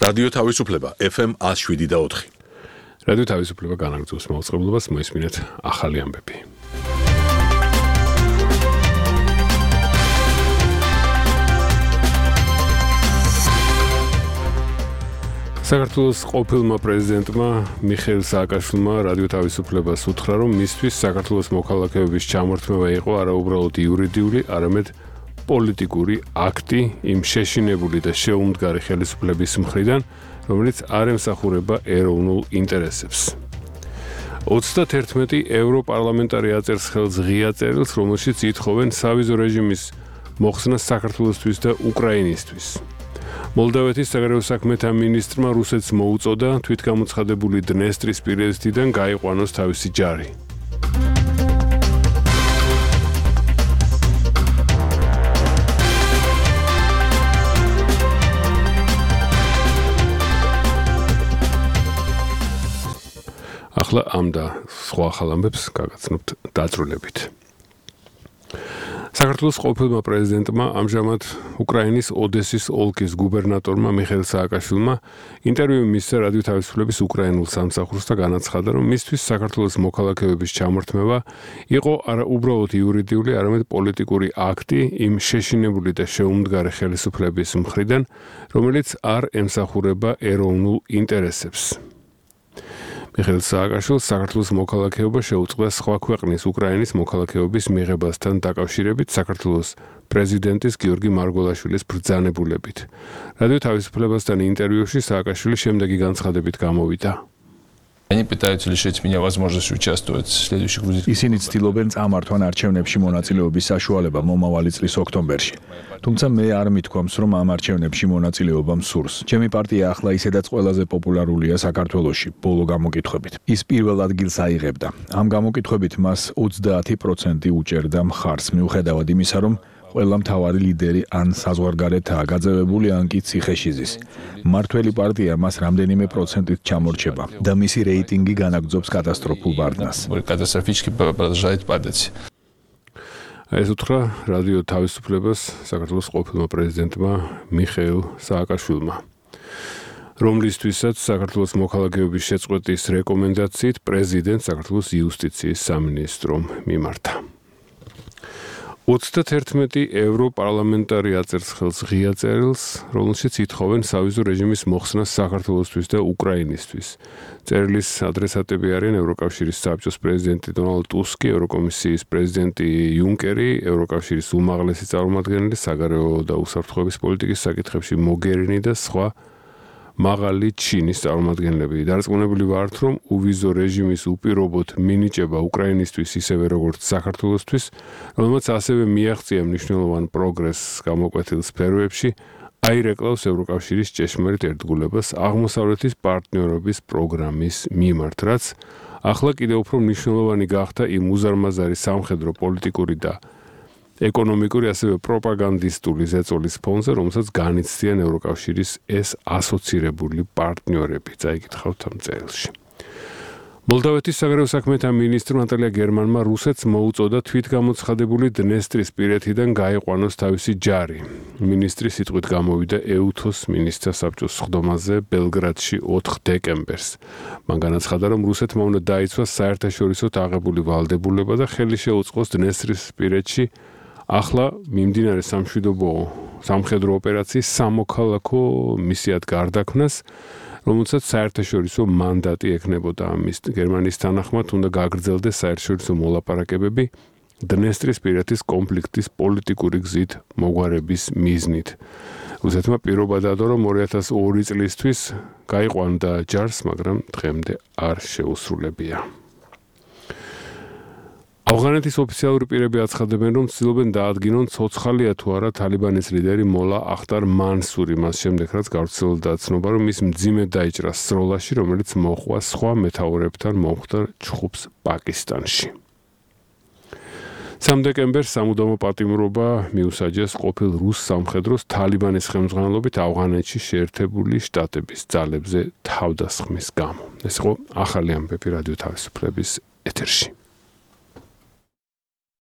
რადიო თავისუფლება FM 107.4. რადიო თავისუფლება განაგრძობს მაუწყებლობას, მოისმინეთ ახალი ამბები. საქართველოს ყოფილმა პრეზიდენტმა მიხეილ სააკაშვილმა რადიო თავისუფლებას უთხრა, რომ მისთვის საქართველოს მოქალაქეობის ჩამორთმევა იყო არა უბრალოდ იურიდიული, არამედ პოლიტიკური აქტი იმ შეშინებული და შეუმდგარი ხელისუფლების მხრიდან, რომელიც არ ემსახურება ეროვნულ ინტერესებს. 31 ევროპარლამენტარი აწერს ხელს ღია წერილს, რომელშიც ითხოვენ სავიზო რეჟიმის მოხსნას საქართველოსთვის და უკრაინისთვის. მოლდავეთის საგარეო საქმეთა მინისტრმა რუსეთს მოუწოდა თვითგამოცხადებული დნესტრის პირედიდან გაიყვანოს თავისი ჯარი. ახლა ამ და სხვა ახალ ამბებს გაგაცნობთ დაწვრილებით. საქართველოს ყოფილმა პრეზიდენტმა ამჟამად უკრაინის ოდესის ოლქის გუბერნატორმა მიხეილ სააკაშვილმა ინტერვიუ მისცა რადიო თავისუფლების უკრაინულ სამსახურს და განაცხადა, რომ მისთვის საქართველოს მოქალაქეობის ჩამორთმევა იყო არა უბრალოდ იურიდიული, არამედ პოლიტიკური აქტი იმ შეშინებული და შეუმდგარი ხელისუფლების მხრიდან, რომელიც არ ემსახურება ეროვნულ ინტერესებს. მიხეილ სააკაშვილს საქართველოს მოქალაქეობა შეუწყდა სხვა ქვეყნის უკრაინის მოქალაქეობის მიღებასთან დაკავშირებით საქართველოს პრეზიდენტის გიორგი მარგველაშვილის ბრძანებულებით. რადიო თავისუფლებასთან ინტერვიუში სააკაშვილი შემდეგი განცხადებით გამოვიდა. Они пытаются лишить меня возможности участвовать в следующих грузинских. ისინი ცდილობენ წამართვან არჩევნებში მონაწილეობის საშუალება მომავალი წლის ოქტომბერში. თუმცა მე არ მithქვამს, რომ ამ არჩევნებში მონაწილეობა მსურს. ჩემი პარტია ახლა ისედაც ყველაზე პოპულარულია საქართველოში, ბოლო გამოკითხვებით. ის პირველ ადგილს აიღებდა. ამ გამოკითხვებით მას 30% უჭერდა მხარს, მიუხედავად იმისა, რომ ყველა მთავარი ლიდერი ან საზღვარგარეთაა გაძევებული, ან კი ციხეშიზის. მმართველი პარტია მას რამდენიმე პროცენტით ჩამორჩება და მისი რეიტინგი განაგრძობს კატასტროფულ ბარდნას. Катастрофически продолжает падать. ეს უთხრა რადიო თავისუფლებას საქართველოს ყოფილმა პრეზიდენტმა მიხეილ სააკაშვილმა, რომლისთვისაც საქართველოს მოქალაქეობის შეწყვეტის რეკომენდაციით პრეზიდენტს საქართველოს იუსტიციის სამინისტრომ მიმართა. 31 ევროპარლამენტარი აწერს ხელს ღია წერილს, რომელშიც ითხოვენ სავიზო რეჟიმის მოხსნას საქართველოსთვის და უკრაინისთვის. წერილის ადრესატები არიან ევროკავშირის საბჭოს პრეზიდენტი დონალდ ტუსკი, ევროკომისიის პრეზიდენტი იუნკერი, ევროკავშირის უმაღლესი წარმომადგენელი საგარეო და უსაფრთხოების პოლიტიკის საკითხებში მოგერინი და სხვა მაღალი ჩინის წარმომადგენლები. დარწმუნებული ვართ, რომ უვიზო რეჟიმის უპირობოდ მინიჭება უკრაინისთვის ისევე როგორც საქართველოსთვის, რომელმაც ასევე მიაღწია მნიშვნელოვან პროგრესს გამოკვეთილ სფეროებში, აირეკლავს ევროკავშირის ჭეშმარიტ ერთგულებას აღმოსავლეთის პარტნიორობის პროგრამის მიმართ, რაც ახლა კიდევ უფრო მნიშვნელოვანი გახდა იმ უზარმაზარი სამხედრო პოლიტიკური და ეკონომიკური, ასევე პროპაგანდისტული ზეწოლის ფონზე, რომელსაც განიცდიან ევროკავშირის ეს ასოცირებული პარტნიორები. წაიკითხავთ ამ წერილში. მოლდავეთის საგარეო საქმეთა მინისტრმა ნატალია გერმანმა რუსეთს მოუწოდა თვითგამოცხადებული დნესტრის პირედიდან გაიყვანოს თავისი ჯარი. მინისტრი სიტყვით გამოვიდა ეუთოს მინისტრთა საბჭოს სხდომაზე ბელგრადში 4 დეკემბერს. მან განაცხადა, რომ რუსეთმა უნდა დაიცვას საერთაშორისოდ აღებული ვალდებულება და ხელი შეუწყოს დნესტრის პირედში ახლა მიმდინარე სამხედრო ოპერაციის სამოქალაქო მისიად გარდაქმნას, რომელსაც საერთაშორისო მანდატი ექნებოდა. გერმანიის თანახმად უნდა გაგრძელდეს საერთაშორისო მოლაპარაკებები დნესტრისპირეთის კონფლიქტის პოლიტიკური გზით მოგვარების მიზნით. რუსეთმა პირობა დადო, რომ 2002 წლისთვის გაიყვანდა ჯარს, მაგრამ დღემდე არ შეუსრულებია. ავღანეთის ოფიციალური პირები აცხადებენ, რომ ცდილობენ დაადგინონ ცოცხალია თუ არა თალიბანის ლიდერი მოლა ახტარ მანსური, მას შემდეგ რაც გავრცელდა ცნობა, რომ ის მძიმედ დაიჭრა სროლაში, რომელიც მოჰყვა სხვა მეთაურებთან მომხდარ ჩხუბს პაკისტანში. 3 დეკემბერს სამუდამო პატიმრობა მიუსაჯეს ყოფილ რუს სამხედროს თალიბანის ხელმძღვანელობით ავღანეთში შეერთებული შტატების ძალებზე თავდასხმის გამო. ეს იყო ახალი ამბები რადიო თავისუფლების ეთერში.